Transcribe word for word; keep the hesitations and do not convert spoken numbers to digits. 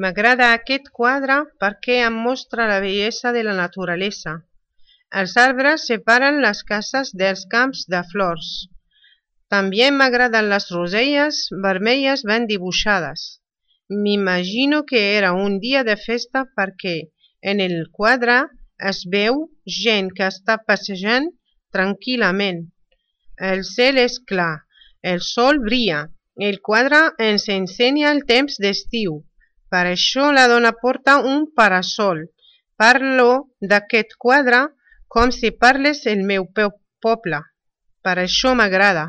M'agrada aquest quadre perquè em mostra la bellesa de la naturalesa. Els arbres separen les cases dels camps de flors. També m'agraden les roselles vermelles ben dibuixades. M'imagino que era un dia de festa perquè en el quadre es veu gent que està passejant tranquil·lament. El cel és clar, el sol brilla. El quadre ens ensenya el temps d'estiu. Per això la dona porta un parasol. Parlo d'aquest quadre com si parlés el meu poble. Per això m'agrada.